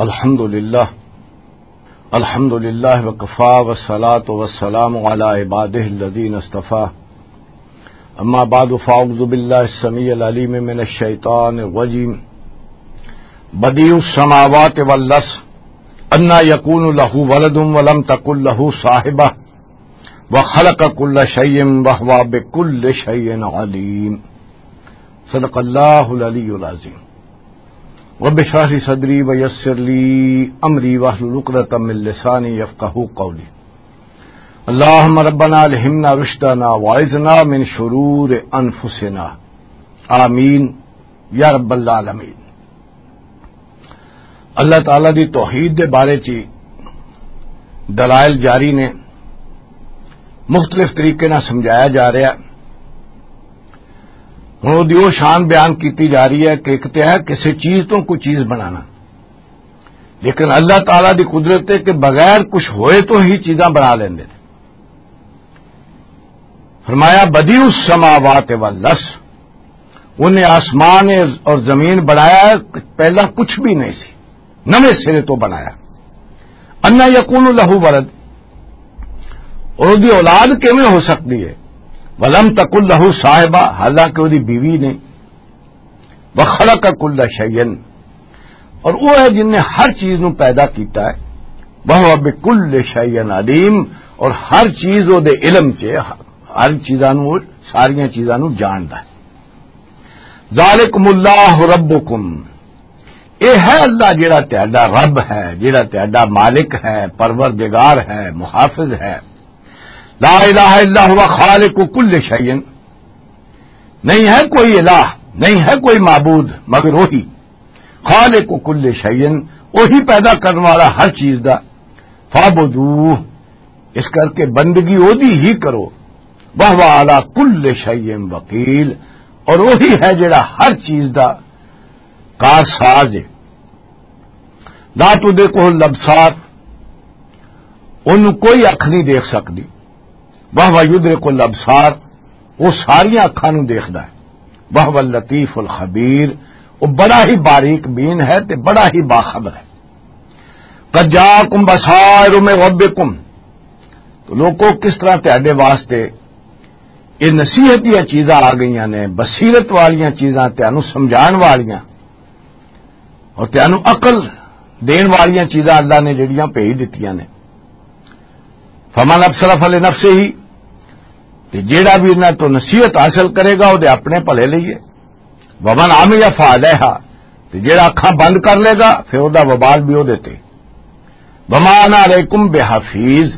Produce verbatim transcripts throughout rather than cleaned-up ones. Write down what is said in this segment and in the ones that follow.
الحمد لله. الحمد لله وكفى والصلاة والسلام على عباده الذين اصطفى. أما بعد فأعوذ بالله السميع العليم من الشيطان الرجيم. بديع السماوات والأرض أنى يكون له ولد ولم تكن له صاحبة وخلق كل شيء وهو بكل شيء عليم. صدق الله العلي العظيم. رب اشرح لي صدري ويسر لي أمري واحلل عقدة من لساني يفقهوا قولي. اللهم ربنا ألهمنا رشدنا وأعذنا من شرور أنفسنا. آمین یا رب العالمین. اللہ تعالیٰ دی توحید دے بارے چ دلائل جاری نے، مختلف طریقے نال سمجھایا جا رہا ہے۔ ہن اودی او شان بیان کیتی جا رہی ہے کہ ایک تے ہے کسی چیز تو کوئی چیز بنانا، لیکن اللہ تعالیٰ دی قدرت ہے کہ بغیر کچھ ہوئے تو ہی چیزاں بنا لیندے نے۔ فرمایا، بدیع السماوات والارض، انہیں آسمان اور زمین بنایا، پہلا کچھ بھی نہیں سی، نویں سرے تو بنایا۔ انا یکون لہ ولد، اور اودی اولاد کیویں ہو سکتی ہے؟ ولم تکن لہ صاحبہ، حالانکہ اودی بیوی نہیں۔ وخلق کل شیء، اور وہ ہے جن نے ہر چیز نو پیدا کیتا ہے۔ وہو بکل شیء علیم، اور ہر چیز او دے علم چ، ہر چیزاں نو، ساریاں چیزاں نو جاندا ہے۔ ذالکم اللہ ربکم، اے ہے اللہ جڑا تہاڈا رب ہے، جڑا تہاڈا مالک ہے، پروردگار ہے، محافظ ہے۔ لا الہ الا ہوا خالق کل شیء، نہیں ہے کوئی الہ، نہیں ہے کوئی معبود مگر وہی۔ خالق کل شیء، وہی پیدا کرنے والا ہر چیز دا۔ فاعبدوہ، اس کر کے بندگی اودی ہی کرو۔ وہو علی کل شیء وکیل، اور وہی ہے جڑا ہر چیز دا کار ساز ہے۔ لا تدرکہ الابصار، انہوں کوئی اکھ نہیں دیکھ سکدی۔ وہو یدرک الابصار، وہ ساریاں اکھاں نوں دیکھدا ہے۔ وہو اللطیف الخبیر، وہ بڑا ہی باریک بین ہے تے بڑا ہی باخبر ہے۔ قد جاءکم بصائر من ربکم، تو لوکو، کس طرح تہاڈے واسطے یہ نصیحت دیاں چیزاں آ گئیاں نے، بصیرت والیاں چیزاں، تہانوں سمجھان والیاں، اور تینوں عقل دین والیاں چیزاں اللہ نے جڑیاں بھیج دتیاں نے۔ فمن ابصر فلنفسہ، تے جیڑا بھی انہاں تو نصیحت حاصل کرے گا، او دے اپنے بھلے لئی ہے۔ ومن عمی فعلیہا، تے جیڑا اکھاں بند کر لے گا، پھر او دا وبال بھی او دیتے۔ وما انا علیکم بحفیظ،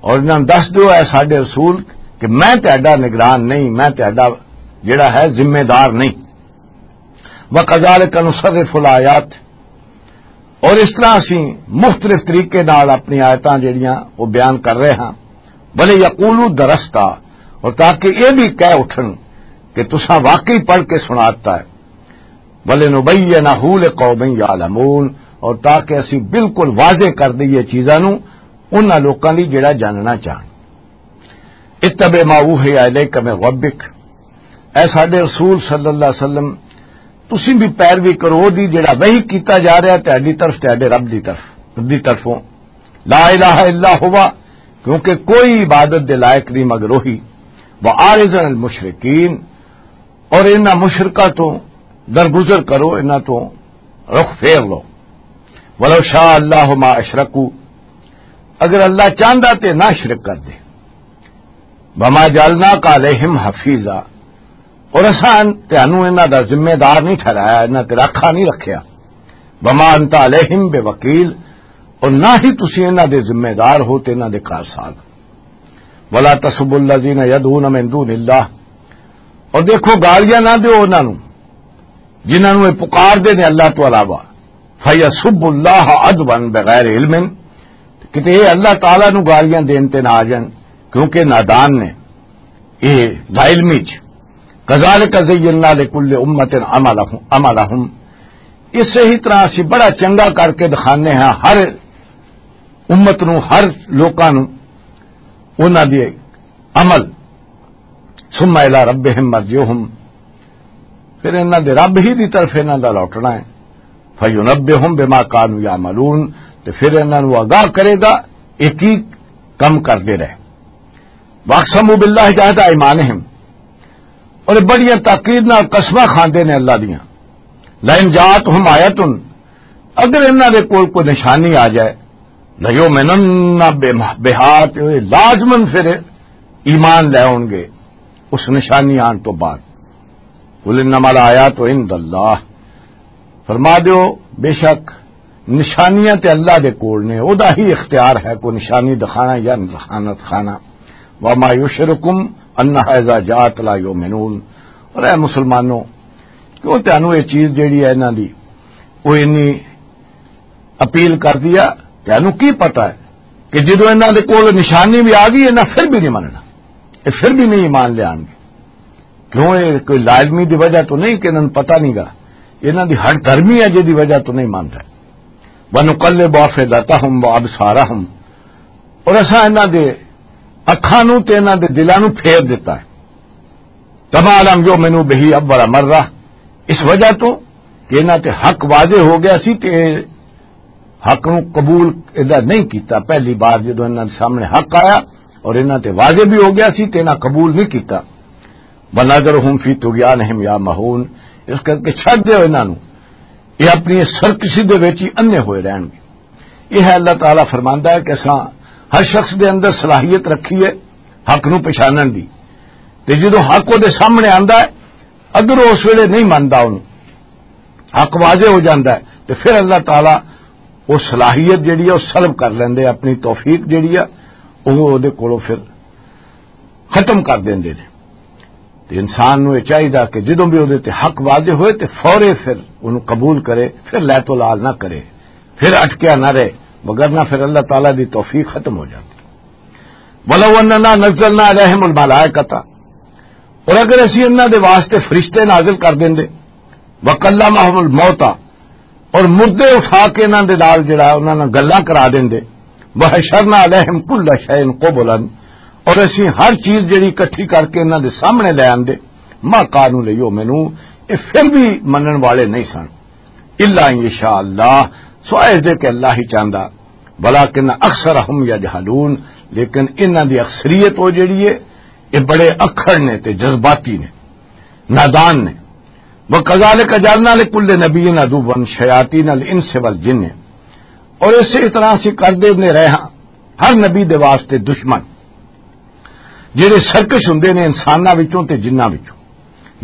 اور انہاں نوں دس دیو، اے ساڈے رسول، کہ میں تہاڈا نگران نہیں، میں تہاڈا جڑا ہے ذمہ دار نہیں۔ وَكَذَلِكَ نُصَرِّفُ الْآيَاتِ، اور اس طرح اسی مختلف طریقے نال اپنی آیتاں جڑیاں وہ بیان کر رہے ہاں۔ وَلِيَقُولُوا دَرَسْتَ، اور تاکہ یہ بھی کہہ اٹھن کہ تساں واقعی پڑھ کے سناتا ہے۔ وَلِنُبَيِّنَهُ لِقَوْمٍ يَعْلَمُونَ، اور تاکہ اسی بالکل واضح کر دئیے چیزاں نوں انہاں لوکاں لئی جڑا جاننا چاہن۔ اتبع ما اوحی الیک من ربک، اے ساڈے رسول صلی اللہ علیہ وسلم، تسی بھی پیروی کرو دی جڑا وحی کیتا جا رہا ہے تہاڈی طرف، تہاڈے رب دی طرف، دی طرفوں۔ لا الہ الا ہوا، کیونکہ کوئی عبادت دے لائق نہیں مگر وہی۔ وَأَعْرِضْ عَنِ الْمُشْرِكِينَ، اور انہاں مشرکاں تو درگزر کرو، انہاں تو رخ پھیر لو۔ وَلَوْ شَاءَ اللَّهُ مَا أَشْرَكُوا، اگر اللہ چاہندا تے نہ شرک کر دے۔ وَمَا جَعَلْنَاكَ عَلَيْهِمْ حَفِيظًا، اور اساں تانوں انہاں دا ذمہ دار نہیں ٹھہرایا، انہاں تے راکھا نہیں رکھیا۔ وَمَا أَنْتَ عَلَيْهِمْ بِوَكِيلٍ، اور نہ ہی تسی انہاں دے ذمہ دار ہو تے انہاں دے کارساز۔ وَلَا تَسُبُّوا الَّذِينَ يَدْعُونَ مِن دُونِ اللَّهِ، اور دیکھو، گالیاں نہ دیو انہاں نوں جنہاں نوں یہ پکار دے نے اللہ تو علاوہ۔ فَيَسُبُّوا اللَّهَ عَدْوًا بِغَيْرِ عِلْمٍ، کتے یہ اللہ تعالیٰ نوں گالیاں دین تے نہ آ جان، کیونکہ نادان نے، یہ لا علمی چ۔ كَذَلِكَ زَيَّنَّا لِكُلِّ أُمَّةٍ عَمَلَهُمْ، عَمَلَهُمْ، اسے ہی طرح اسی بڑا چنگا کر کے دکھانے ہاں ہر امت نو، ہر لوکاں نو، انہاں دے عمل۔ ثم الی ربہم مرجعہم، پھر انہاں دے رب ہی دی طرف انہاں دا لوٹنا ہے۔ فَيُنَبِّئُهُم بِمَا كَانُوا يَعْمَلُونَ، تے پھر انہاں نوں آگاہ کرے گا یہ کی کم کردے رہے۔ وَأَقْسَمُوا بِاللَّهِ جَهْدَ أَيْمَانِهِمْ، اور بڑیاں تاکید نال قسماں کھاندے نے اللہ دیاں۔ لَئِن جَاءَتْهُمْ آيَةٌ، اگر انہاں دے کول کوئی نشانی آ جائے، لَيُؤْمِنُنَّ بِهَا، تے لازماً پھر ایمان لے آؤن گے اس نشانی آن تو بعد۔ قُلْ إِنَّمَا الْآيَاتُ عِندَ اللَّهِ، فرما دیو، بے شک نشانیاں تے اللہ دے کول نے، او دا ہی اختیار ہے کوئی نشانی دکھانا یا نہ دکھانا۔ وَمَا يُشْعِرُكُمْ أَنَّهَا إِذَا جَاءَتْ لَا يُؤْمِنُونَ۔ اور اے مسلمانوں، کیوں تانوں یہ چیز جیڑی ہے انہاں دی، وہ انی اپیل کر دیا، تانوں کی پتہ ہے کہ جدوں انہاں دے کول نشانی بھی آ گئی، انہاں پھر بھی نہیں مننا، یہ پھر بھی نہیں ایمان لے آن گے۔ کیوں؟ یہ کوئی لازمی دی وجہ تو نہیں کہ انہاں نوں پتہ نہیں گا، انہاں دی ہٹ دھرمی ہے جدی وجہ تو نہیں مان رہے۔ وَنُقَلِّبُ أَفْئِدَتَهُمْ وَأَبْصَارَهُمْ، اور اساں انہاں دے اکھاں نوں تے انہاں دے دلاں نوں پھیر دتا ہے۔ كَمَا لَمْ يُؤْمِنُوا بِهِ أَوَّلَ مَرَّةٍ، اس وجہ تو کہ انہاں تے حق واضح ہو گیا سی تے حق نوں قبول ادا نہیں کیتا۔ پہلی بار جدوں انہاں دے سامنے حق آیا اور انہاں تے واضح بھی ہو گیا سی تے انہاں قبول نہیں کیتا۔ وَنَذَرُهُمْ فِي طُغْيَانِهِمْ يَعْمَهُونَ، اس کر کے چھڈ دیو انہاں نوں، یہ اپنی سرکشی دے وچ ہی انے ہوئے رہن گے۔ یہ ہے اللہ تعالیٰ فرماندا ہے کہ اساں ہر شخص دے اندر صلاحیت رکھی ہے حق نوں پہچانن دی، تے جدوں حق او دے سامنے آندا ہے، اگر اس ویلے نہیں مندا، انہوں حق واضح ہو جاندا ہے، تے پھر اللہ تعالیٰ وہ صلاحیت جڑی ہے وہ سلب کر لیندے، اپنی توفیق جڑی ہے وہ دے کولوں پھر ختم کر دیندے نے۔ تے انسان نوں یہ چاہیدا کہ جدوں بھی اودے تے حق واضح ہوئے تے فورے پھر انہوں قبول کرے، پھر لے تو لال نہ کرے، پھر اٹکیا نہ رہے، وگرنہ پھر اللہ تعالیٰ دی توفیق ختم ہو جاتی۔ وَلَوْ أَنَّنَا نَزَّلْنَا عَلَيْهِمُ الْمَلَائِكَةَ، اور اگر اسی انہاں دے واسطے فرشتے نازل کر دیندے، وَكَلَّمَهُمُ الْمَوْتَى، اور مردے اٹھا کے انہاں دے نال جڑا ہے، انہاں نال گلاں کرا دیندے۔ وَحَشَرْنَا عَلَيْهِمْ كُلَّ شَيْءٍ قُبُلًا، اور اسی ہر چیز جڑی اکٹھی کر کے انہاں دے سامنے لے آندے۔ مَا كَانُوا لِيُؤْمِنُوا، یہ پھر بھی منن والے نہیں سن۔ إِلَّا أَن يَشَاءَ اللَّهُ، سوائے اس دے کہ اللہ ہی چاہندا۔ وَلَٰكِنَّ أَكْثَرَهُمْ يَجْهَلُونَ، لیکن انہاں دی اکثریت وہ جڑی ہے، یہ بڑے اکھڑ نے تے جذباتی نے، نادان نے۔ وَكَذَٰلِكَ جَعَلْنَا لِكُلِّ نَبِيٍّ عَدُوًّا شَيَاطِينَ الْإِنسِ وَالْجِنِّ، اور اسی طرح اسی کر دے نے رہے ہاں ہر نبی دے واسطے دشمن، جڑے سرکش ہوندے نے انساناں وچوں تے جناں وچوں۔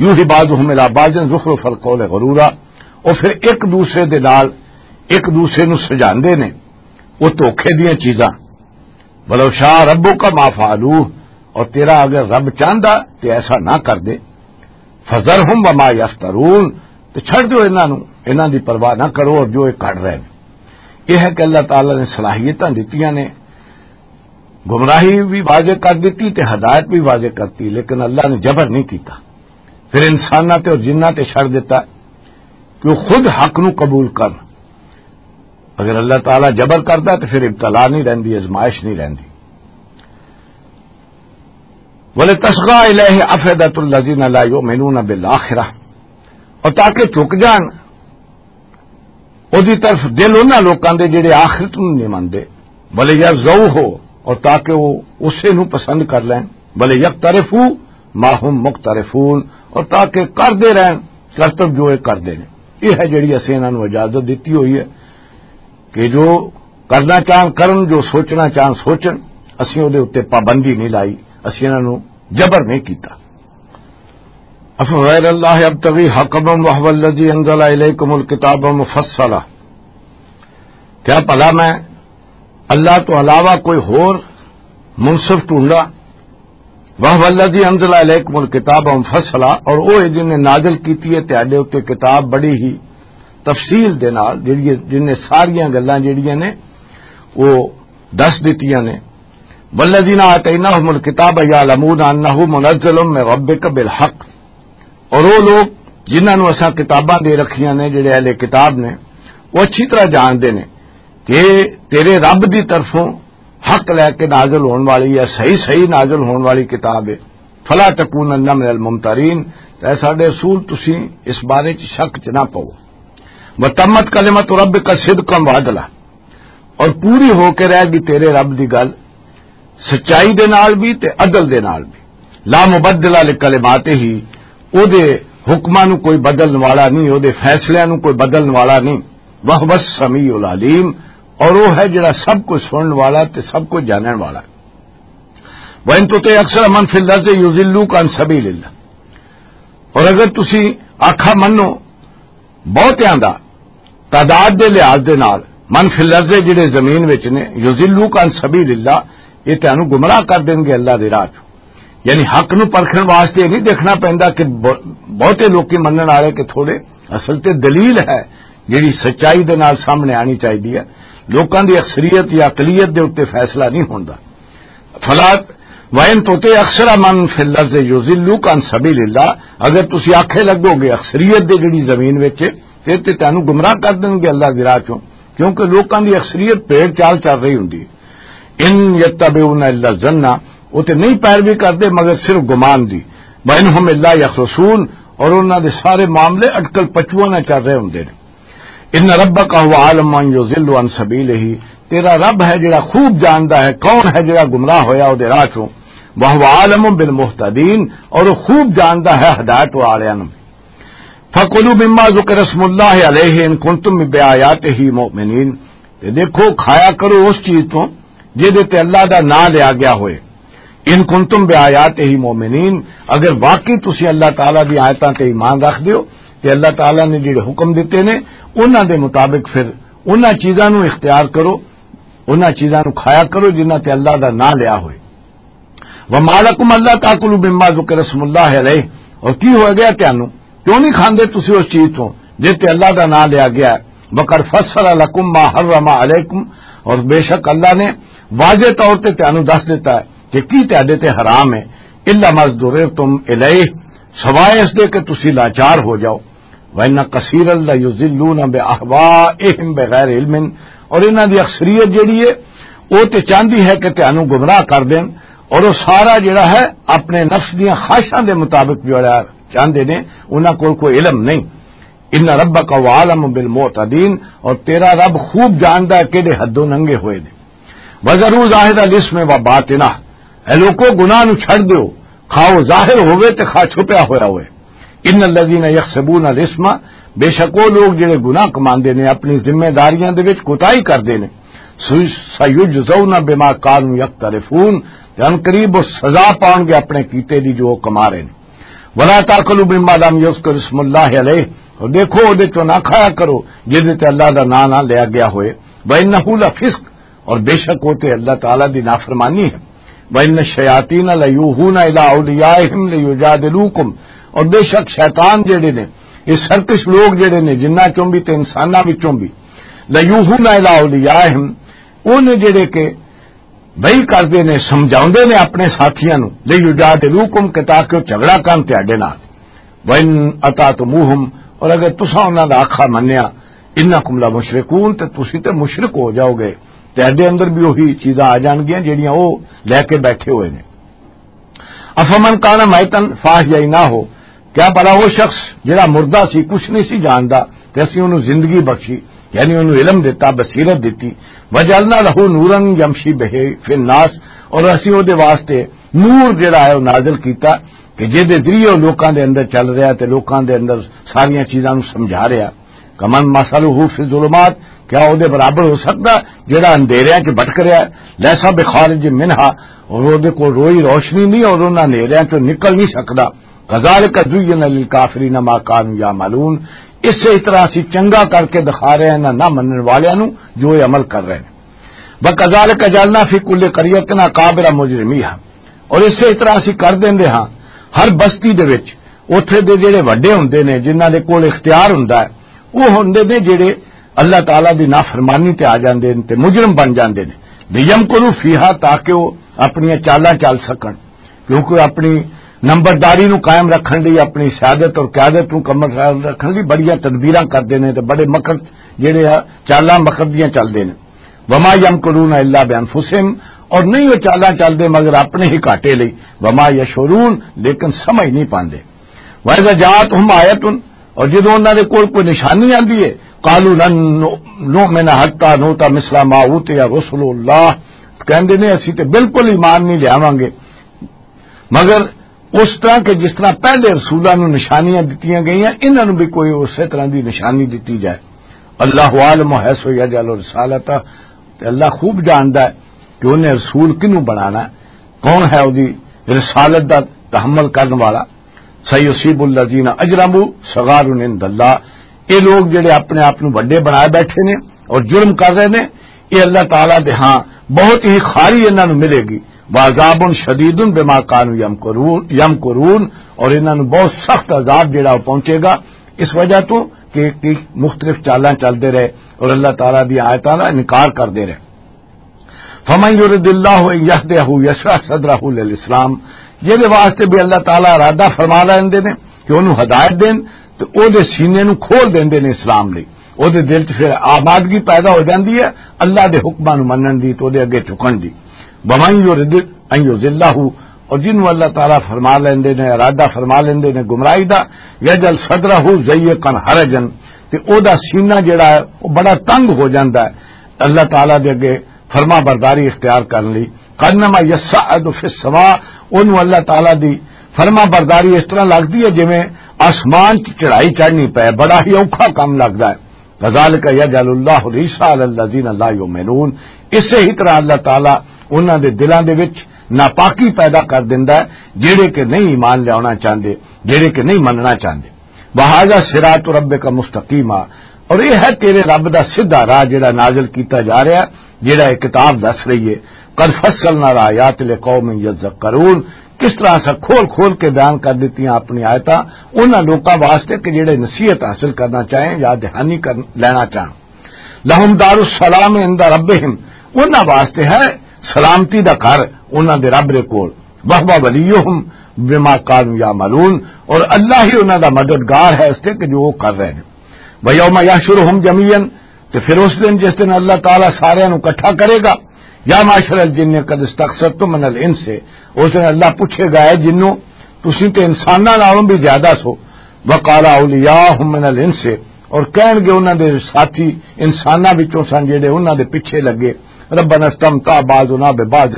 يُوحِي بَعْضُهُمْ إِلَىٰ بَعْضٍ زُخْرُفَ الْقَوْلِ غُرُورًا، او پھر ایک دوسرے دے نال ایک دوسرے نوں سجاندے نے وہ دھوکے دیاں چیزاں۔ وَلَوْ شَاءَ رَبُّكَ مَا فَعَلُوهُ، اور تیرا اگر رب چاہندا تے ایسا نہ کر دے۔ فَذَرْهُمْ وَمَا يَفْتَرُونَ، تے چھڈ دیو انہاں نوں، انہاں دی پرواہ نہ کرو اور جو یہ کر رہے ہیں۔ یہ ہے کہ اللہ تعالیٰ نے صلاحیتاں دتیاں نے، گمراہی بھی واضح کر دیتی تے ہدایت بھی واضح کرتی، لیکن اللہ نے جبر نہیں کیتا۔ پھر انساناں تے اور جناں تے چھڈ دیتا کہ وہ خود حق نو قبول کرن۔ اگر اللہ تعالیٰ جبر کردا تے پھر ابتلا نہیں رہندی، ازمائش نہیں رہندی۔ وَلِتَصْغَىٰ إِلَيْهِ أَفْئِدَةُ الَّذِينَ لَا يُؤْمِنُونَ بِالْآخِرَةِ، اور تاکہ جھک جان اودی طرف دل انہاں لوکاں دے جڑے آخرت نوں نہیں منندے۔ وَلِيَرْضَوْهُ، اور تاکہ وہ اسے نوں پسند کر لین۔ وَلِيَقْتَرِفُوا مَا هُمْ مُقْتَرِفُونَ، اور تاکہ کردے رہن کرتب جو یہ کردے نے۔ یہ ہے جڑی اسیں انہاں نوں اجازت دتی ہوئی ہے کہ جو کرنا چاہن کرن، جو سوچنا چاہن سوچن۔ اسیں اودے اُتے پابندی نہیں لائی، اسیں انہاں نوں جبر نہیں کیتا۔ أَفَغَيْرَ اللَّهِ أَبْتَغِي حَكَمًا وَهُوَ الَّذِي أَنزَلَ إِلَيْكُمُ الْكِتَابَ مُفَصَّلًا، کیا بھلا میں اللہ تو علاوہ کوئی ہور منصف ڈھونڈا؟ وَهُوَ الَّذِي أَنزَلَ إِلَيْكُمُ الْكِتَابَ مُفَصَّلًا، اور وہ ہے جن نے نازل کیتی ہے تہاڈے اُتے کتاب بڑی ہی تفصیل دے نال، جڑی، جن نے ساریاں گلاں جڑیاں نے وہ دس دتیاں نے۔ وَالَّذِينَ آتَيْنَاهُمُ الْكِتَابَ يَعْلَمُونَ أَنَّهُ مُنَزَّلٌ مِّن رَّبِّكَ بِالْحَقِّ، اور وہ لوگ جنہاں نوں اساں کتاباں دے رکھیاں نے، جڑے اہل کتاب نے، وہ اچھی طرح جانتے نے کہ تیرے رب دی طرفوں حق لے کے نازل ہون والی ہے، صحیح صحیح نازل ہون والی کتاب ہے۔ فَلَا تَكُونَنَّ مِنَ الْمُمْتَرِينَ، تے اے ساڈے رسول، تسی اس بارے چ شک چ نہ پو۔ وتمت کلمت ربک صدقا وعدلا، اور پوری ہو کے رہ گئی تیرے رب دی گل سچائی دے نال بھی تے عدل دے نال بھی۔ لا مبدل لکلماتہ، او دے حکماں نو کوئی بدلن والا نہیں، او دے فیصلے نو کوئی بدلن والا نہیں۔ وہو السمیع العلیم، اور وہ ہے جڑا سب کچھ سنن والا تے سب کچھ جانن والا۔ وَإِن تُطِعْ أَكْثَرَ مَنْ فِي الْأَرْضِ يُضِلُّوكَ عَنْ سَبِيلِ اللَّهِ، اور اگر تسی آکھا منو بہتیاں دا تعداد دے لحاظ دے نال، من فی الارض، جڑے زمین وچ نے، یضلوک عن سبیل اللہ، یہ تانوں گمراہ کر دین گے اللہ دے راہ چوں۔ یعنی حق نو پرکھن واسطے نہیں دیکھنا پیندا کہ ب-، بہتے لوکی منن والے کہ تھوڑے، اصل تے دلیل ہے جڑی سچائی دے نال سامنے آنی چاہیدی ہے۔ لوکاں دی اکثریت یا اقلیت دے اُتے فیصلہ نہیں ہوندا۔ فلا، وَإِن تُطِعْ أَكْثَرَ مَنْ فِي الْأَرْضِ يُضِلُّوكَ عَنْ سَبِيلِ اللَّهِ، اگر تسی آکھے لگو گے اکثریت دے جڑی زمین وچ، پھر تے تانوں گمراہ کر دین گے اللہ دی راہ چوں، کیونکہ لوکاں دی اکثریت بھیڑ چال چل رہی ہوندی ہے۔ ان یتبعون الا الظن، وہ تے نہیں پیروی کردے مگر صرف گمان دی۔ وَإِنْ هُمْ إِلَّا يَخْرُصُونَ، اور انہاں دے سارے معاملے اٹکل پچواں نہ چل رہے ہوندے نے۔ ان ربک هُوَ أَعْلَمُ مَنْ يُضِلُّ عَنْ سَبِيلِهِ، تیرا رب ہے جڑا خوب جاندا ہے کون ہے جڑا گمراہ ہویا او دے راہ چوں۔ وَهُوَ أَعْلَمُ بِالْمُهْتَدِينَ، اور وہ خوب جاندا ہے ہدایت والےاں نوں۔ فَكُلُوا مِمَّا ذُكِرَ اسْمُ اللَّهِ عَلَيْهِ إِن كُنتُم بِآيَاتِهِ مُؤْمِنِينَ، تے دیکھو، کھایا کرو اس چیز تو جہدے تے اللہ دا نام لیا گیا ہوئے۔ ان کنتم بآیاتہ مؤمنین، اگر واقعی تسی اللہ تعالیٰ دی آیتاں تے ایمان رکھ دیو تے اللہ تعالیٰ نے جڑے حکم دتے نے، انہاں دے مطابق پھر انہاں چیزاں نو اختیار کرو، انہاں چیزاں نو کھایا کرو جنہاں تے اللہ دا نام لیا ہوئے۔ وما لکم الا تاکلوا مما ذکر اسم اللہ علیہ، اور کی ہو گیا تانوں؟ کیوں نہیں کھاندے تسی اس چیز تو جس تے اللہ دا نام لیا گیا ہے؟ وقد فصل لکم ما حرم علیکم، اور بے شک اللہ نے واضح طور تے تانوں دس دیتا ہے کہ کی تہاڈے تے حرام ہے۔ الا ما اضطررتم الیہ، سوائے اس دے کہ تسی لاچار ہو جاؤ۔ وَإِنَّ كَثِيرًا لَيُضِلُّونَ بِأَهْوَائِهِمْ بِغَيْرِ عِلْمٍ، اور انہاں دی اکثریت جڑی ہے، وہ تے چاہندی ہے کہ تانوں گمراہ کر دین، اور وہ سارا جڑا ہے اپنے نفس دیاں خواہشاں دے مطابق جڑا چاہندے نے، انہاں کول کوئی علم نہیں۔ ان ربک هو اعلم بالمعتدین، اور تیرا رب خوب جاندا ہے کہڑے حدوں ننگے ہوئے نے۔ وَذَرُوا ظَاهِرَ الْإِثْمِ وَبَاطِنَهُ، اے لوکو، گناہ نو چھڈ دیو، کھاؤ ظاہر ہوئے تے کھا چھپیا ہویا ہوئے۔ ان الذین یکسبون الاثم، بے شک وہ لوگ جڑے گناہ کماندے نے، اپنی ذمہ داریاں دے وچ کوتاہی کردے نے، سیجزون بما کانوا یقترفون، تے ان قریب وہ سزا پاؤن گے اپنے کیتے دی جو وہ کما رہے نے۔ ولا تاکلوا مما لم یذکر اسم اللہ علیہ، اور دیکھو، وہ دے چوں نہ کھایا کرو جس دے تے اللہ دا نام نہ لیا گیا ہوئے۔ وانہ لفسق، اور بے شک وہ تے اللہ تعالیٰ دی نافرمانی ہے۔ وَإِنَّ الشَّيَاطِينَ لَيُوحُونَ إِلَىٰ أَوْلِيَائِهِمْ لِيُجَادِلُوكُمْ، اور بے شک شیطان جڑے نے، یہ سرکش لوگ جڑے نے، جنہاں چوں بھی تے انساناں وچوں بھی، لَيُوحُونَ إِلَىٰ أَوْلِيَائِهِمْ، انہیں جڑے کہ وحی کردے نے، سمجھاوندے نے اپنے ساتھیاں نوں، لِيُجَادِلُوكُمْ، کہ تاکہ وہ جھگڑا کرن تہاڈے نال۔ وَإِنْ أَطَعْتُمُوهُمْ، اور اگر تساں انہاں دا آکھا منیا، إِنَّكُمْ لَمُشْرِكُونَ، تے تسی تے مشرک ہو جاؤ گے۔ تہاڈے اندر بھی وہی چیزاں آ جان گیاں جڑیاں وہ لے کے بیٹھے ہوئے نے۔ أَفَمَنْ كَانَ مَيْتًا فَأَحْيَيْنَاهُ، کیا بھلا وہ شخص جڑا مردہ سی، کچھ نہیں سی جاندا، تے اسی انہوں زندگی بخشی، یعنی انہوں علم دیتا، بصیرت دیتی، وَجَعَلْنَا لَهُ نُورًا يَمْشِي بِهِ فِي النَّاسِ، اور اسی او دے واسطے نور جڑا ہے وہ نازل کیتا کہ جے دے ذریعے وہ لوکاں دے اندر چل رہا تے لوکاں دے اندر ساریاں چیزاں نوں سمجھا رہا۔ کمن مثلہ فی الظلمات، کیا او دے برابر ہو سکدا جڑا اندھیریاں چ بھٹک رہا ہے؟ لیسا بخارج منہا، اور او دے کول روئی روشنی نہیں اور انہاں اندھیریاں چوں نکل نہیں سکدا۔ کذالک زین للکافرین ما کانوا یعملون، اسی طرح اسی چنگا کر کے دکھا رہے ہیں نہ منن والیاں نوں جو یہ عمل کر رہے ہیں۔ وَكَذَٰلِكَ جَعَلْنَا فِي كُلِّ قَرْيَةٍ أَكَابِرَ مُجْرِمِيهَا، اور اسی طرح اسی کر دیندے ہاں ہر بستی دے وچ اوتھے دے جڑے وڈے ہوندے نے، جنہاں دے کول اختیار ہوندا ہے، وہ ہوندے نے جڑے اللہ تعالیٰ دی نافرمانی تے آ جاندے نے تے مجرم بن جاندے نے۔ لِيَمْكُرُوا فِيهَا، تاکہ وہ اپنیاں چالاں چل سکن، کیونکہ اپنی نمبرداری نو قائم رکھن لئی، اپنی سیادت اور قیادت نو کمر رکھن لئی بڑیاں تدبیراں کردے نے تے بڑے مکر جڑے آ چالاں مکر دیاں چلدے نے۔ وما یمکرون الا بانفسہم، اور نہیں وہ چالاں چلدے مگر اپنے ہی گھاٹے لئی۔ وما یشعرون، لیکن سمجھ نہیں پاندے۔ واذا جاءتہم آیۃ، اور جدوں انہاں دے کول کوئی نشانی آندی ہے، قالوا لن نؤمن حتى نؤتى مثل ما اوتي رسل اللہ، کہندے نے اسی تے بالکل ایمان نہیں لیاواں گے مگر اس طرح کہ جس طرح پہلے رسولاں نوں نشانیاں دتیاں گئیاں، انہاں نوں بھی کوئی اسی طرح دی نشانی دتی جائے۔ اللہ عالم حیث یجعل رسالتہ، تے اللہ خوب جاندا ہے کہ انہیں رسول کنوں بنانا ہے، کون ہے اودی رسالت دا تحمل کرن والا۔ سیصیب الذین اجرموا صغار عند اللہ، یہ لوگ جڑے اپنے آپ نوں وڈے بنائے بیٹھے نے اور جرم کر رہے نے، یہ اللہ تعالیٰ دے ہاں بہت ہی خاری انہاں نوں ملے گی۔ وعذاب شدید بما کانوا یمکرون، یمکرون، اور انہاں نوں بہت سخت عذاب جڑا وہ پہنچے گا اس وجہ تو کہ کہ مختلف چالاں چلدے رہے اور اللہ تعالیٰ دی آیتاں دا انکار کردے رہے۔ فمن یرد اللہ ان یہدہ یشرح صدرہ للاسلام، جہدے واسطے بھی اللہ تعالیٰ ارادہ فرما لیندے نے کہ انہوں ہدایت دین، تو او دے سینے نوں کھول دیندے نے اسلام لئی۔ او دے دل 'چ پھر آمادگی پیدا ہو جاندی ہے اللہ دے حکماں نوں منن دی، تو او دے اگے جھکن دی۔ ومن یرد ان یذلہ، اور جنوں اللہ تعالیٰ فرما لیندے نے، ارادہ فرما لیندے نے گمراہی دا، یجعل صدرہ ضیقا حرجا، تے او دا سینہ جڑا ہے، او بڑا تنگ ہو جاندا ہے اللہ تعالیٰ دے اگے فرما برداری اختیار کرن لئی۔ کانما یصعد فی السماء، اونوں اللہ تعالیٰ دی فرما برداری اس طرح لگدی ہے جویں آسمان 'چ چڑھائی چڑھنی پے، بڑا ہی اوکھا کم لگدا ہے۔ کذالک یجعل اللہ الرجس علی الذین لا یؤمنون، اسے ہی طرح اللہ تعالیٰ انہاں دے دلاں دے وچ ناپاکی پیدا کر دیندا ہے، جڑے کہ نہیں ایمان لیاونا چاہندے، جڑے کہ نہیں مننا چاہندے۔ وہذا صراط ربک مستقیما، اور یہ ہے تیرے رب دا سیدھا راہ جڑا نازل کیتا جا رہا ہے، جڑا یہ کتاب دس رہی ہے۔ قد فصلنا الآیات لقوم یذکرون، کس طرح اساں کھول کھول کے بیان کر دتیاں اپنی آیتاں انہاں لوکاں واسطے کہ جڑے نصیحت حاصل کرنا چاہیں یا دہانی کر لینا چاہن۔ لہم دار السلام عند ربہم، انہاں واسطے ہے سلامتی دا گھر انہاں دے رب دے کول۔ وہو ولیہم بما کانوا یعملون، اور اللہ ہی انہاں دا مددگار ہے اس تے کہ جو وہ کر رہے ہیں۔ ویوم یحشرہم جمیعا، تے پھر اس دن جس دن اللہ تعالیٰ سارے نو اکٹھا کرے گا، یا معشر الجن قد استکثرتم من الانس، اس دن اللہ پوچھے گا، اے جنوں، تسی تے انساناں نالوں بھی زیادہ سو۔ وقال اولیاءہم من الانس، اور کہن گے انہاں دے ساتھی انساناں وچوں سن جڑے انہاں دے پیچھے لگے، ربنا استمتع بعضنا ببعض،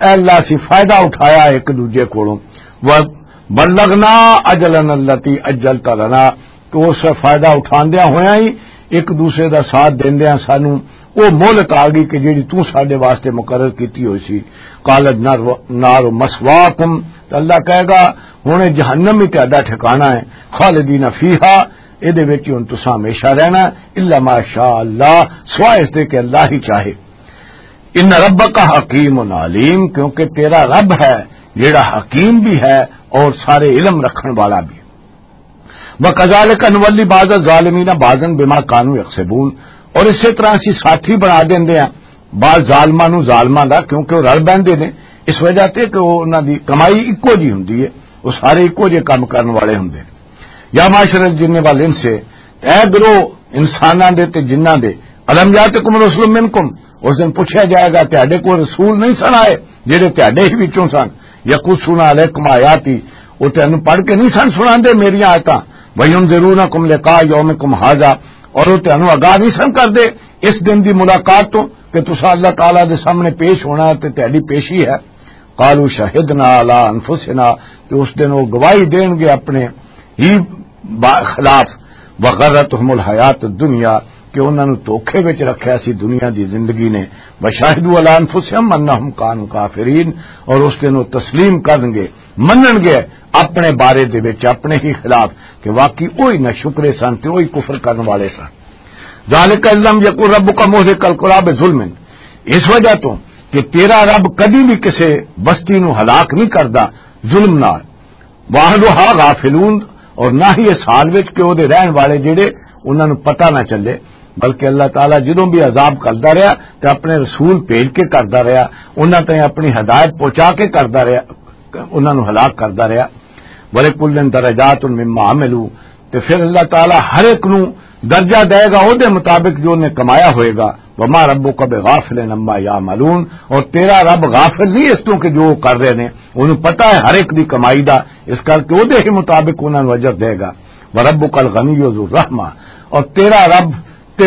اے اللہ اسی فائدہ اٹھایا ایک دوجے کولوں، وبلغنا اجلنا الذی اجلت لنا، تو اس فائدہ اٹھاندیاں ہویاں ہی ایک دوسرے دا ساتھ دیندیاں سانو وہ مہلت آ گئی کہ جیڑی تو ساڈے واسطے مقرر کیتی ہوئی سی۔ قالت نار، نار مسواکم، تو اللہ کہے گا، ہن اے جہنم ہی تہاڈا ٹھکانہ ہے، خالدین فیہا، اے دے وچ ہن تساں ہمیشہ رہنا ہے، الا ما شاء اللہ، سوائے اس دے کہ اللہ ہی چاہے۔ ان ربک حکیم علیم، کیونکہ تیرا رب ہے جیڑا حکیم بھی ہے اور سارے علم رکھن والا بھی۔ وَكَذَلِكَ نُوَلِّي بَعْضَ الظَّالِمِينَ بَعْضًا بِمَا كَانُوا يَكْسِبُونَ، اور اسی طرح اسی ساتھی بنا دیندے ہیں بعض ظالماں نوں ظالماں دا، کیونکہ وہ رل بہندے نے اس وجہ تے کہ وہ انہاں دی کمائی اکو جی ہوندی ہے، وہ سارے اکو جے کام کرن والے ہوندے نے۔ یا معاشر الجن والانس، اے گروہ انساناں دے تے جناں دے، الم یاتکم رسل منکم، اس دن پوچھا جائے گا، تہاڈے کول رسول نہیں سن آئے جڑے تہاڈے ہی وچوں سن؟ یقصون علیکم آیاتی، وہ تینوں پڑھ کے نہیں سن سناندے میریاں آیتاں؟ وینذرونکم لقاء یومکم ھذا، اور وہ تینوں آگاہ نہیں سن کردے اس دن دی ملاقات تو کہ تسا اللہ تعالیٰ دے سامنے پیش ہونا ہے تے تہاڈی پیشی ہے۔ قالوا شہدنا علی انفسنا، تے اس دن وہ گواہی دین گے اپنے ہی با-، خلاف۔ وغرتهم الحیات الدنیا، کہ انہاں نوں دھوکے وچ رکھیا سی دنیا دی زندگی نے۔ وشہدوا علی انفسهم انهم کانوا کافرین، اور اس دن وہ تسلیم کرن گے، منن گے اپنے بارے دے وچ، اپنے ہی خلاف، کہ واقعی وہی نہ شکرے سن تے وہی کفر کرن والے سن۔ ذالک ان لم یکن ربک مہلک القری بظلم، اس وجہ تو کہ تیرا رب کدی بھی کسے بستی نو ہلاک نہیں کردا ظلم نال۔ واہلھا غافلون، اور نہ ہی اس حال وچ کہ او دے رہن والے جڑے انہاں نو پتہ نہ چلے، بلکہ اللہ تعالیٰ جدوں بھی عذاب کردا رہیا تے اپنے رسول بھیج کے کردا رہیا، انہاں تائیں اپنی ہدایت پہنچا کے کردا رہیا، انہاں نو ہلاک کردا رہیا۔ وَلِكُلٍّ دَرَجَاتٌ مِّمَّا عَمِلُوا، تے پھر اللہ تعالیٰ ہر ایک نو درجہ دے گا او دے مطابق جو انہیں کمایا ہوئے گا۔ وَمَا رَبُّكَ بِغَافِلٍ عَمَّا يَعْمَلُونَ، اور تیرا رب غافل نہیں اس تو کہ جو وہ کر رہے نے، انہوں پتہ ہے ہر ایک دی کمائی دا، اس کر کے او دے ہی مطابق انہاں نو اجر دے گا۔ وَرَبُّكَ الْغَنِيُّ ذُو الرَّحْمَةِ، اور تیرا رب تے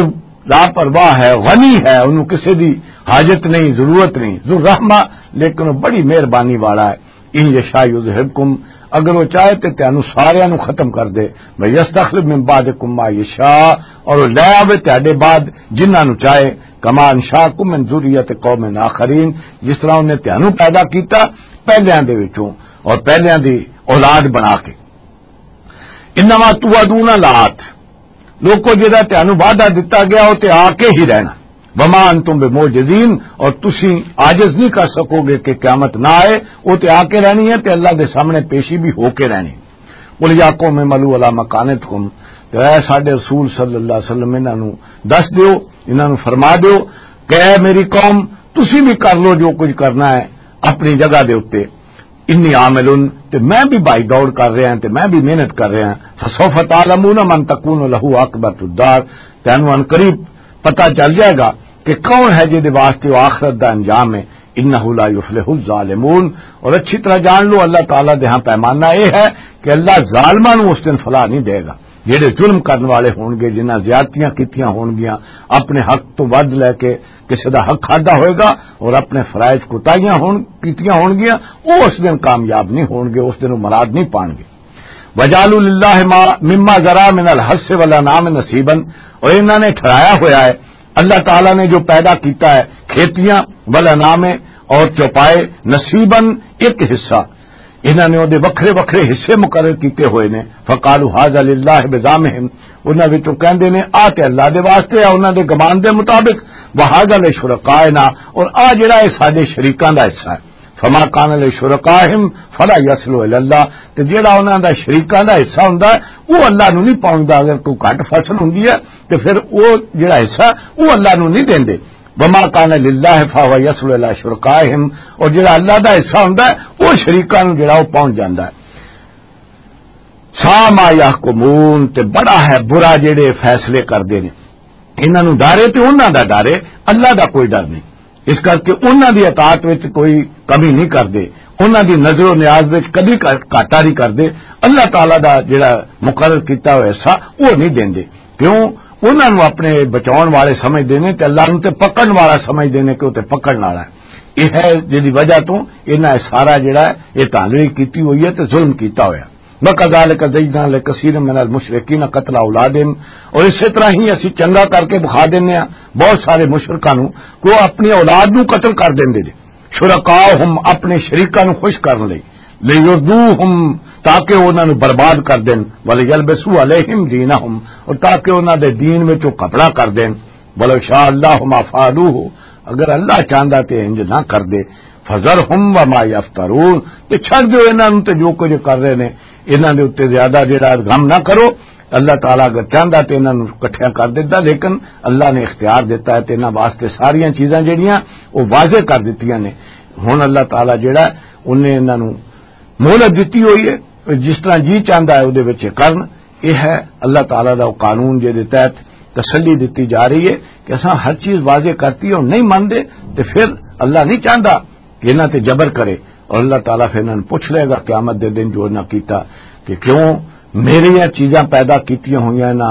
لاپرواہ ہے، غنی ہے، انہوں کسی دی حاجت نہیں، ضرورت نہیں، ذو رحمہ، لیکن وہ بڑی مہربانی والا ہے۔ ان یشاء یذہبکم، اگر وہ چاہے تے تانوں ساریاں نوں ختم کر دے، ویستخلف من بعدکم ما یشاء، اور وہ لے آوے تہاڈے بعد جنہاں نوں چاہے، کما انشاکم من ذریت قوم آخرین، جس طرح انہیں تانوں پیدا کیتا پہلیاں دے وچوں اور پہلیاں دی اولاد بنا کے۔ انما توعدون لآت، لوکو، جڑا تانوں وعدہ دتا گیا، وہ تے آ کے ہی رہنا۔ وما انتم بمعجزین، اور تسی عاجز نہیں کر سکو گے کہ قیامت نہ آئے، وہ تے آ کے رہنی ہے تے اللہ دے سامنے پیشی بھی ہو کے رہنی۔ قل یا قوم اعملوا علی مکانتکم، تے اے ساڈے رسول صلی اللہ علیہ وسلم، انہاں نوں دس دیو، انہاں نوں فرما دیو کہ اے میری قوم، تسی بھی کر لو جو کچھ کرنا ہے اپنی جگہ دے اتے۔ انی عامل، تے میں بھی بھائی دوڑ کر رہا ہاں، تے میں بھی محنت کر رہا ہاں۔ فسوف تعلمون من تکون لہ عاقبۃ الدار، تینوں ان قریب پتہ چل جائے گا کہ کون ہے جس دے واسطے وہ آخرت دا انجام ہے۔ انہ لا یفلح الظالمون، اور اچھی طرح جان لو، اللہ تعالیٰ دے ہاں پیمانہ یہ ہے کہ اللہ ظالماں نوں اس دن فلاح نہیں دے گا۔ جڑے ظلم کرن والے ہون گے، جنہاں زیادتیاں کیتیاں ہون گیاں، اپنے حق تو ود لے کے کسی دا حق کھادا ہوئے گا اور اپنے فرائض کوتاہیاں ہون، کیتیاں ہون گیاں، وہ اس دن کامیاب نہیں ہون گے، اس دن وہ مراد نہیں پان گے۔ وجعلوا للہ ما، مما ذرا من الحرث والانعام نصیبا، اور انہوں نے ٹھہرایا ہویا ہے اللہ تعالیٰ نے جو پیدا کیتا ہے کھیتیاں، والانعام، اور چوپائے، نصیبا، ایک حصہ۔ انہاں نے اودے وکھرے وکھرے حصے مقرر کیتے ہوئے نے۔ فقالوا هذا لله بزعمهم، انہاں وچوں کہندے نے، "آ تے اللہ دے واسطے ہے، انہاں دے گمان دے مطابق، وهذا لشركائنا، اور آ جڑا ہے ساڈے شریکاں دا حصہ ہے۔" فما كان لشركائهم فلا يصل الى الله، تے جڑا انہاں دا شریکاں دا حصہ ہوندا ہے، وہ اللہ نوں نہیں پہنچدا۔ اگر کوئی گھٹ فصل ہوندی ہے تے پھر وہ جڑا حصہ، وہ اللہ نوں نہیں دیندے۔ وما كان لله فهو يصل الى شركائهم، اور جڑا اللہ دا حصہ ہوندا ہے، وہ شریکاں نوں جڑا وہ پہنچ جاندا ہے۔ سا ما يحكمون، تے بڑا ہے برا جڑے فیصلے کردے نے۔ انہاں نوں ڈر ہے تے انہاں دا ڈر ہے، اللہ دا کوئی ڈر نہیں۔ اس کر کے انہاں دی اطاعت وچ کوئی کمی نہیں کردے، انہاں دی نظر و نیاز وچ کبھی گھا-، گھاٹا نہیں کردے۔ اللہ تعالیٰ دا جڑا مقرر کیتا ہویا حصہ، وہ نہیں دیندے۔ کیوں؟ انہاں نوں اپنے بچاؤن والے سمجھدے نے تے اللہ نوں تے پکڑن والا سمجھدے نے کہ وہ تے پکڑن والا ہے۔ یہ ہے جدی وجہ تو انہاں سارا جڑا ہے، یہ دھاندلی کیتی ہوئی ہے تے ظلم کیتا ہویا۔ وَكَذَلِكَ زَيَّنَّا لِكَثِيرٍ مِّنَ الْمُشْرِكِينَ قَتْلَ أَوْلَادِهِمْ، اور اسی طرح ہی اسی چنگا کر کے بخا دینے ہاں بہت سارے مشرکاں نوں کہ وہ اپنی اولاد نوں قتل کر دیندے نے۔ شرکاءہم، اپنے شریکاں نوں خوش کرن لئی، لیردوہم، تاکہ وہ انہاں نوں برباد کر دین، ولیلبسوا علیہم دینہم، اور تاکہ انہاں دے دین وچ وہ کپڑا کر دین۔ ولو شاء اللہ ما فعلوہ، اگر اللہ چاہندا تے انج نہ کر دے۔ فذرہم وما یفترون، تے چھڈ دیو انہاں نوں تے جو کچھ کر رہے نے، انہاں دے اوتے زیادہ جڑا غم نہ کرو۔ اللہ تعالیٰ اگر چاہندا تے انہاں نوں اکٹھیاں کر دیتا، لیکن اللہ نے اختیار دیتا ہے تے انہاں واسطے ساریاں چیزاں جڑیاں وہ واضح کر دتیاں نے۔ ہن اللہ تعالیٰ جڑا ہے، انہیں انہاں نوں مہلت دتی ہوئی ہے، جس طرح جی چاہندا ہے اودے وچ کرن۔ یہ ہے اللہ تعالیٰ دا قانون، جے دے تحت تسلی دتی جا رہی ہے کہ اساں ہر چیز واضح کرتی ہے اور نہیں مندے، تے پھر اللہ نہیں چاہندا کہ انہاں تے جبر کرے، اور اللہ تعالیٰ پھر انہاں نوں پوچھ لے گا قیامت دے دن جو انہاں کیتا کہ کیوں میریاں چیزاں پیدا کیتیاں ہوئیاں نہ،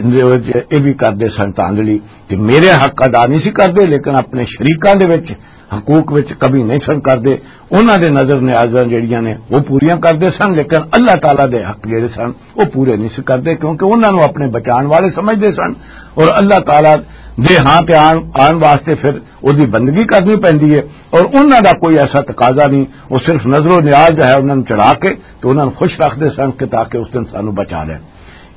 اندے وچ یہ بھی کردے سن تاندلی کہ میرے حق ادا نہیں سی کردے، لیکن اپنے شریکاں دے وچ حقوق وچ کمی نہیں سن کردے۔ انہاں دے نظر نیازاں جڑیاں نے وہ پوریاں کردے سن، لیکن اللہ تعالیٰ دے حق جڑے سن وہ پورے نہیں سی کردے، کیونکہ انہاں نوں اپنے بچان والے سمجھدے سن، اور اللہ تعالیٰ دے ہاں تے آن، آن واسطے پھر اس دی بندگی کرنی پیندی ہے، اور انہاں دا کوئی ایسا تقاضا نہیں، وہ صرف نظر و نیاز ہے انہاں نوں چڑھا کے تو انہاں نوں خوش رکھدے سن کہ تاکہ اس دن سانوں بچا لین۔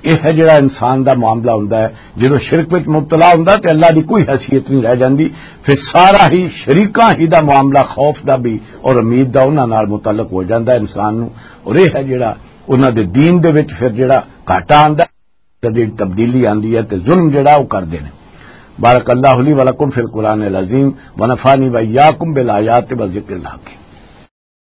یہ ہے جڑا انسان دا معاملہ ہوندا ہے، جدوں شرک وچ مبتلا ہوندا تے اللہ دی کوئی حیثیت نہیں رہ جاندی، پھر سارا ہی شریکاں ہی دا معاملہ خوف دا بھی اور امید دا انہاں نال متعلق ہو جاندا ہے انسان نوں۔ اور یہ ہے جڑا انہاں دے دین دے وچ پھر جڑا گھاٹا آندا ہے، تبدیلی آندی ہے تے ظلم جڑا وہ کردے نے۔ بارک اللہ لی و لکم فی القرآن العظیم، ونفعنی و ایاکم بالآیات و ذکر الحکیم۔